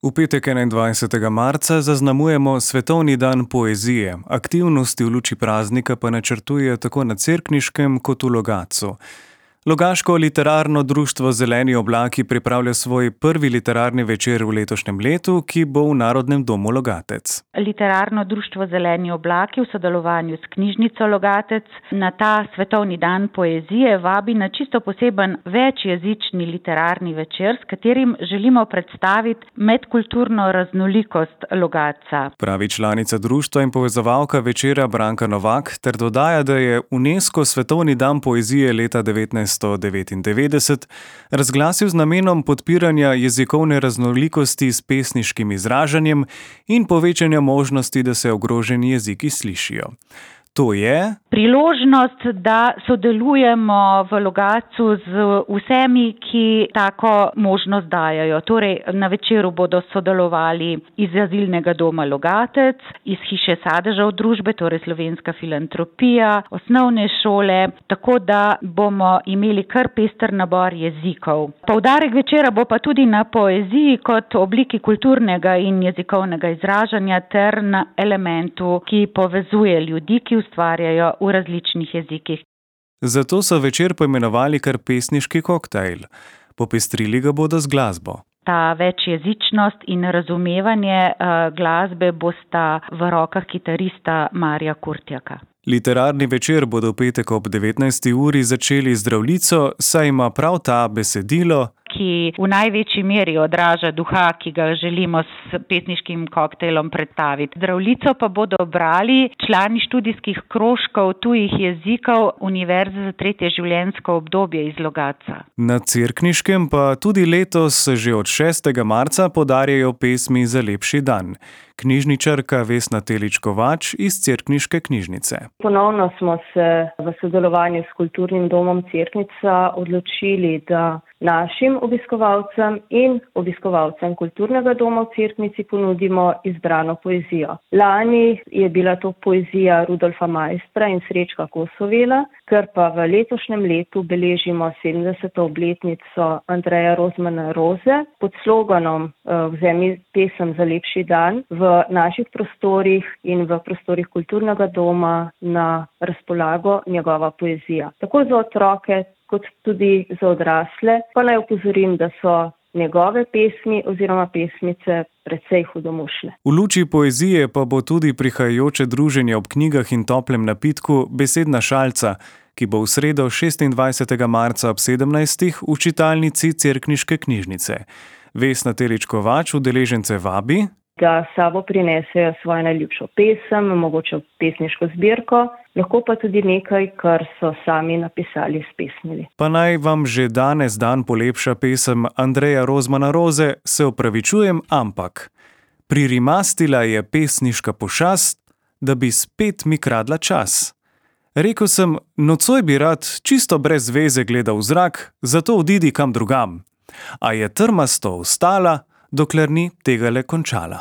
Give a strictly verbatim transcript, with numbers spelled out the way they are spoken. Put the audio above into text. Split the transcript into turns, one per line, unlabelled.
V petek enaindvajsetega marca zaznamujemo Svetovni dan poezije, aktivnosti v luči praznika pa načrtuje tako na Cerkniškem kot v Logatcu. Logaško literarno društvo Zeleni oblaki pripravlja svoj prvi literarni večer v letošnjem letu, ki bo v Narodnem domu Logatec.
Literarno društvo Zeleni oblaki v sodelovanju s knjižnico Logatec na ta Svetovni dan poezije vabi na čisto poseben večjezični literarni večer, s katerim želimo predstaviti medkulturno raznolikost Logatca.
Pravi članica društva in povezovalka večera Branka Novak ter dodaja, da je UNESCO Svetovni dan poezije leta devetnajststo devetindevetdeset razglasil z namenom podpiranja jezikovne raznolikosti s pesniškim izražanjem in povečanja možnosti, da se ogroženi jeziki slišijo. To je
priložnost, da sodelujemo v Logatcu z vsemi, ki tako možnost dajajo. Torej, na večeru bodo sodelovali iz Azilnega doma Logatec, iz Hiše sadežev družbe, torej Slovenska filantropija, osnovne šole, tako da bomo imeli kar pester nabor jezikov. Poudarek večera bo pa tudi na poeziji kot obliki kulturnega in jezikovnega izražanja ter na elementu, ki povezuje ljudi, ki ustvarjajo v različnih jezikih.
Zato so večer poimenovali kar pesniški koktajl. Popestrili ga bodo z glasbo.
Ta večjezičnost in razumevanje uh, glasbe bosta v rokah kitarista Marija Kurtjaka.
Literarni večer bodo v petek ob devetnajsti uri začeli z Zdravljico, saj ima prav ta besedilo,
ki v največji meri odraža duha, ki ga želimo s pesniškim koktejlom predstaviti. Zdravljico pa bodo brali člani študijskih krožkov tujih jezikov Univerze za tretje življenjsko obdobje iz Logatca.
Na Cerkniškem pa tudi letos že od šestega marca podarjajo pesmi za lepši dan. Knjižničarka Vesna Telič Kovač iz Cerkniške knjižnice.
Ponovno smo se v sodelovanju s Kulturnim domom Cerknica odločili, da našim obiskovalcem in obiskovalcem Kulturnega doma v Cerknici ponudimo izbrano poezijo. Lani je bila to poezija Rudolfa Maistra in Srečka Kosovela, ker pa v letošnjem letu beležimo sedemdeseto obletnico Andreja Rozmana Roze pod sloganom Vzemi pesem za lepši dan v naših prostorih in v prostorih Kulturnega doma na razpolago njegova poezija. Tako za otroke, kot tudi za odrasle, pa naj opozorim, da so njegove pesmi oziroma pesmice precej hudomušne.
V luči poezije pa bo tudi prihajajoče druženje ob knjigah in toplem napitku Besedna šalca, ki bo v sredo šestindvajsetega marca ob sedemnajstih v čitalnici Cerkniške knjižnice. Vesna Telič Kovač udeležence vabi,
da sabo prinesejo svojo najljubšo pesem, mogoče pesniško zbirko, lahko pa tudi nekaj, kar so sami napisali, spesnili.
Pa naj vam že danes dan polepša pesem Andreja Rozmana Roze, se opravičujem, ampak pririmastila je pesniška pošast, da bi spet mi kradla čas. Rekel sem, nocoj bi rad čisto brez veze gledal v zrak, zato odidi kam drugam. A je trmasto ostala, dokler ni tegale končala.